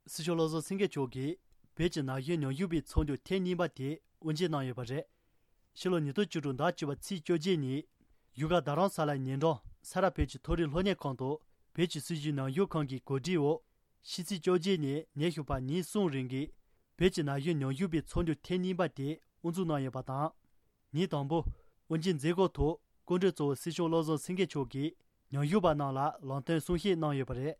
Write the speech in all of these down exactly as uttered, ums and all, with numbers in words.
སྲིད་སྐྱོང་བློ་བཟང་སེང་གེ་མཆོག་གིས་བོད་ཀྱི་ན་གཞོན་ཉམས་ཞིབ་པའི་ཚོགས་འདུ་ཐེངས་གཉིས་པ་དེ་དབུ་འབྱེད་གནང་ཡོད་པ་རེད། ཕྱི་ལོ་ཉིས་སྟོང་བཅུ་དྲུག་ཟླ་བཅུ་པ་ཚེས་བཅོ་བརྒྱད་ཉིན། ཡུལ་ཁ་རྡ་རམ་ས་ལའི་ཉེ་འགྲམ་ས་རཱ་བོད་ཀྱི་མཐོ་རིམ་སློབ་གཉེར་ཁང་དུ་བོད་ཀྱི་སྲིད་བྱུས་ཉམས་ཞིབ་ཁང་གི་གོ་སྒྲིག་འོག་ཕྱི་ཚེས་བཅོ་བརྒྱད་ནས་ཉིན་ཞོགས་པ་ཉིན་གསུམ་རིང་གི་བོད་ཀྱི་ན་གཞོན་ཉམས་ཞིབ་པའི་ཚོགས་འདུ་ཐེངས་གཉིས་པ་དེ་དབུ་འཛུགས་གནང་ཡོད་པ་དང་། ཉིན་དང་པོ་དབུ་འབྱེད་མཛད་སྒོ་ཐོག་སྐུ་མགྲོན་གཙོ་བོ་སྲིད་སྐྱོང་བློ་བཟང་སེང་གེ་མཆོག་གིས་ཉམས་ཞིབ་པ་རྣམས་ལ་ལམ་སྟོན་གསུང་བཤད་གནང་ཡོད་པ་རེད།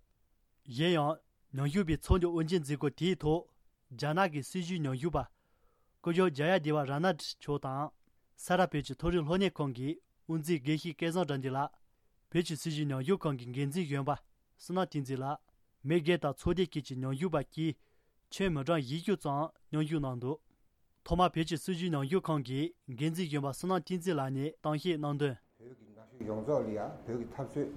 གཞན་ཡང་། ཉམས་ཞིབ་པའི་ཚོགས་འདུ་དབུ་འབྱེད་མཛད་སྒོ་དེའི་ཐོག་རྒྱ་ནག་གི་སྲིད་བྱུས་ཉམས་ཞིབ་པ། སྐུ་ཞབས་ཇ་ཡ་དེ་བ་ར་ནཱ་ཏྲི་མཆོག་དང་། ས་རཱ་བོད་ཀྱི་མཐོ་རིམ་སློབ་གཉེར་ཁང་གི་དབུ་འཛིན་དགེ་བཤེས་སྐལ་བཟང་དགྲ་འདུལ་ལགས། བོད་ཀྱི་སྲིད་བྱུས་ཉམས་ཞིབ་ཁང་གི་འགན་འཛིན་གཞོན་པ་བསོད་ནམས་བསྟན་འཛིན་ལགས། མི་སྒེར་དང་ཚོགས་སྡེ་ཁག་གི་ཉམས་ཞིབ་པ་བཅས་ཁྱོན་མི་གྲངས་བཞི་བཅུ་ཙམ་མཉམ་ཞུགས་གནང་འདུག་ཐོག་མར་བོད་ཀྱི་སྲིད་བྱུས་ཉམས་ཞིབ་ཁང་གི་འགན་འཛིན་གཞོན་པ་བསོད་ནམས་བསྟན་འཛིན་ལགས་ནས་གཏམ་བཤད་གནང་དོན། བོད་ཀྱི་ན་གཞོན་ཡོངས་རྫོགས་ལ་ཡང་བོད་ཀྱི་འཐབ་རྩོད་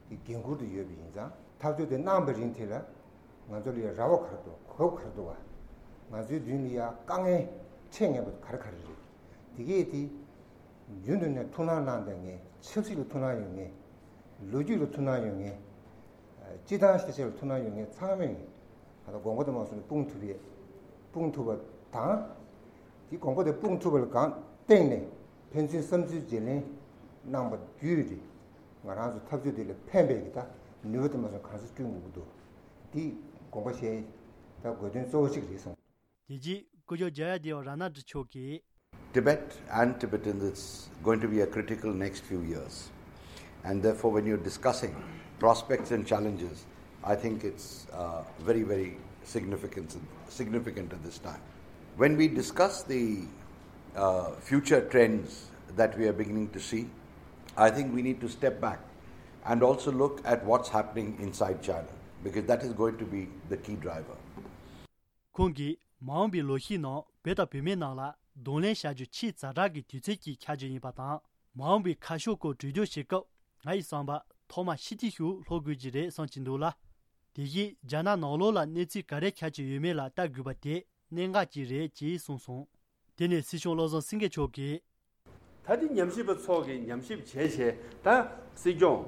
ཀྱི་འགན་ཁུར་དུ་ཡོད་པ་ཡིན་ཙང་། འཐབ་རྩོད་དེ་གནང་བའི་རིང་དེ་ལ་ང་ཚོ་ལ་ཡང་རེ་བ་ག་རེ་འདུག་གོ་སྐབས་ག་རེ་འདུག་བ། ང་ཚོའི་མདུན་ལ་ཡང་དཀའ་ངལ་འཕྲད་ངེས་པ་ག་རེ་ག་རེ་རེད། དེ་གས་དེ་རྒྱུན་དུ་ནས་ཐུགས་སྣང་གནང་བསྡད་མཁན། ཆབ་སྲིད་ལ་ཐུགས་སྣང་ཡོད་མཁན། ལོ་རྒྱུས་ལ་ཐུགས་སྣང་ཡོད་མཁན། སྤྱི་བཏང་ཤེས་བྱ་ལ་ཐུགས་སྣང་ཡོད་མཁན་ཚང་མས་ད་ལྟ་དགོངས་པ་དེ་མ་སོང་ནས་སྤུངས་ཐུབ་པའི་སྤུངས་ཐུབ་པ་དང་། དེ་དགོངས་པ་དེ་སྤུངས་ཐུབ་པ་ལ་གང་སྟེང་ནས་ཕན་ཚུན་བསམ་ཚུལ་བརྗེ་ལེན་གནང་པ་བརྒྱུད་དེ། ང་རང་ཚོ་འཐབ་རྩོད་འདི་ལ་ཕན་པའི་གི་ད་ནུས་པ་དེ་མ་སོང་གང་ས་བསྐྲུན་དགོས་ཀྱི་འདུག་དེ་དགོངས་པ་བཞེས་ད་དགོས་དོན་གཙོ་བོ་གཅིག་རེད་བསམ། དེ་རྗེས་སྐུ་ཞབས་ཇ་ཡ་དེ་བ་ར་ནཱ་ཏྲི་མཆོག་གིས། Tibet and Tibetans is going to be a critical next few years. And therefore, when you're discussing prospects and challenges, I think it's uh, very, very significant, significant at this time. When we discuss the uh, future trends that we are beginning to see, I think we need to step back and also look at what's happening inside China, because that is going to be the key driver. ཁོང་གིས་མ་འོངས་པའི་ལོ་ཤས་ནང་བོད་དང་བོད་མི་རྣམས་ལ་གདོང་ལེན་བྱ་རྒྱུ་ཆེས་ཛ་དྲག་གི་དུས་ཚོད་ཅིག་ཆགས་རྒྱུ་ཡིན་པ་དང་། མ་འོངས་པའི་ཁ་ཕྱོགས་སྐོར་གྲོས་བསྡུར་བྱེད་སྐབས་ང་ཡི་བསམ་པར་ཐོག་མར་ཕྱི་དྲིལ་ཞིག་ལྷོ་དགོས་ཀྱི་རེད་བསམ་གྱི་འདུག་ལ། དེ་བཞིན་རྒྱ་ནག་ནང་ལོགས་ལ་གནས་ཚུལ་ག་རེ་ཆགས་ཀྱི་ཡོད་མེད་ལ་ལྟ་དགོས་པ་དེ་གནད་འགག་ཅིག་རེད་ཅེས་གསུངས་སོང་། དེ་ནས་སྲིད་སྐྱོང་བློ་བཟང་སེང་གེ་མཆོག་གིས། ད་འདི་ཉམས་ཞིབ་པ་ཚོ་གིས་ཉམས་ཞིབ་བྱས་བྱས་ད་སྲིད་སྐྱོང་།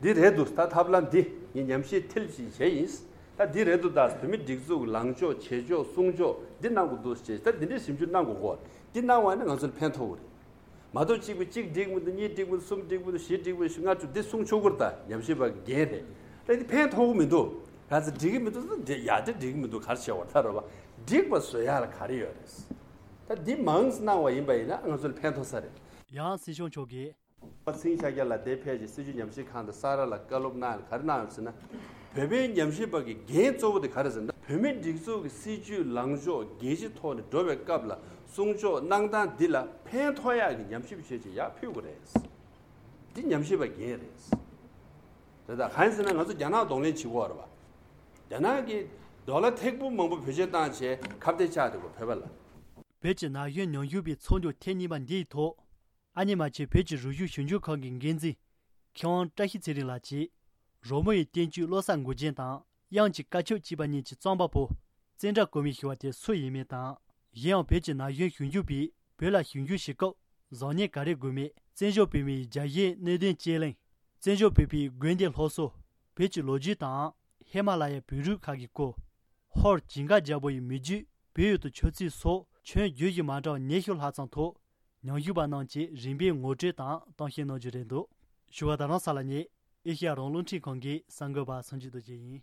འདི་རེད་འདུག་ད་ཐབས་ལམ་འདི་ངས་ཉམས་ཞིབ་མཐིལ་ཕྱིན་བྱས་ཡིན། ད་འདི་རེད་འདུག་ད་བོད་མི་སྒྲིག་འཛུགས་ལངས་ཕྱོགས་བྱེད་ཕྱོགས་གསུང་ཕྱོགས་འདི་གནང་དགོས་འདུག་ཅེས་ད་འདི་འདྲའི་ཞིབ་འཇུག་གནང་དགོས་གོ། འདི་གནང་བ་ནི་ང་ཚོ་ལ་ཕན་ཐོགས་རེད། མ་གཏོགས་གཅིག་པུ་གཅིག་འགྲིག་མི་འདུག་གཉིས་འགྲིག་མི་འདུག་གསུམ་འགྲིག་མི་འདུག་བཞི་འགྲིག་མི་འདུག་ལྔ་བཅུ་འདི་གསུང་ཆོག་གི་རེད། ད་ཉམས་ཞིབ་པ་གི་འགན་རེད། ད་འདི་ཕན་ཐོགས་གི་མི་འདུག་ག་ཚོད་འགྲིག་གི་མི་འདུག་ད་འདི་ཡ་འདི་འགྲིག་གི་མི་འདུག་ག་རེ་བྱེད་བར་ཐག་རོ་བ། འགྲིག་པ་བཟོ་ཡ་ལ་ག་རེ་ཡོད་རེད། ད་འདི་མང་གནང་བ་ཡིན་པ་ཡིན་ན་ང་ཚོ་ལ་ཕན་ཐོགས་ས་རེད། ཡང་སྲིད་སྐྱོང་མཆོག་གིས། པ་ཚིང་ཤཱཀྱ་ལ་དེ་ཕལ་ཆེར་སྲིད་བྱུས་ཉམས་ཞིབ་ཁང་དང་ས་རཱ་ལ་བཀའ་སློབ་གནང་ཡ་ག་རེ་གནང་ཡོད་ཟེར་ན། བོད་པའི་ཉམས་ཞིབ་པ་གི་འགན་གཙོ་བོ་དེ་ག་རེ་ཟེར་ན། བོད་མིའི་སྒྲིག་འཛུགས་ཀྱི་སྲིད་བྱུས་ལངས་ཕྱོགས་རྒྱལ་སྤྱི་ཐོག་ནས་འགྲོ་བའི་སྐབས་ལ་གསུང་ཕྱོགས་གནང་སྟངས་འདི་ལ་ཕན་ཐོགས་ཡག་གི་ཉམས་ཞིབ་བྱས་ཅིག་ཡར་ཕུལ་དགོས་རེད། འདི་ཉམས་ཞིབ་པ་འགན་རེད། དེ་དག་གང་ཡིན་ཟེར་ན་ང་ཚོ་རྒྱ་ནག་གདོང་ལེན་བྱེད་དགོས་རེད་བ། རྒྱ་ནག་གིས་ཌོ་ལར་ཐེར་འབུམ་མང་པོ་བེད་སྤྱོད་བཏང་བྱས་ཁ་གཏད་བཅག་འདུག་གོ་བོད་པ་ལ། བོད་ཀྱི་ན་གཞོན་ཉམས་ཞིབ་པའི་ཚོགས་འདུ་ཐེངས་གཉིས་པ་འདིའི་ཐོག་ཨ་ནི་མ་ཆེན་བོད་ཀྱི་རིག་གཞུང་ཞིབ་འཇུག་ཁང་གི་འགན་འཛིན་མཁས་དབང་བཀྲ་ཤིས་ཚེ་རིང་ལགས་ཀྱིས། རོལ་མོ་ཡི་བསྟན་བཅོས་བློ་གསར་མགུལ་རྒྱན་དང་དབྱངས་ཀྱི་བཀའ་ཁྱབ་ཅེས་པ་གཉིས་ཀྱི་རྩོམ་པ་པོ་བཙན་བཀྲ་གོང་མས་ཞུ་བ་དེ་སུ་ཡིན་མིན་དང་། གཞན་ཡང་བོད་ཀྱི་ན་གཞོན་ཞིབ་འཇུག་པས་བོད་ལ་ཞིབ་འཇུག་བྱེད་སྐབས་བཟང་ངན་ག་རེ་དགོས་མིན། བཙན་བྱོལ་བོད་མིའི་རྒྱལ་ཞེན་གནད་དོན་དཔྱད་གླེང་། བཙན་བྱོལ་བོད་པའི་དགོན་སྡེ་སློབ་གསོ། བོད་ཀྱི་ལོ་རྒྱུས་དང་ཧི་མ་ལ་ཡའི་བོད་རིགས་ཁག་གི་སྐོར། ཧོར་ཇིང་ག་རྒྱལ་པོ་ཡི་མི་རྒྱུད། བོད་ཡུལ་དུ་ཆབ་སྲིད་སོགས་ཁྱོན་བརྗོད་གཞི་མ་འདྲ་བ་ཉི་ཤུ་ལྷག་ཙམ་ཐོག་ཉམས་ཞིབ་པ་རྣམས་ཀྱིས་རིམ་པས་ངོ་སྤྲོད་དང་གཏམ་བཤད་གནང་རྒྱུ་རེད་འདུག་བཞུགས་སྒར་རྡ་རམ་ས་ལ་ནས་ཨེ་ཤེ་ཡ་རང་དབང་རླུང་འཕྲིན་ཁང་གི་གསར་འགོད་པ་སངས་རྒྱས་རྡོ་རྗེ་ཡིན།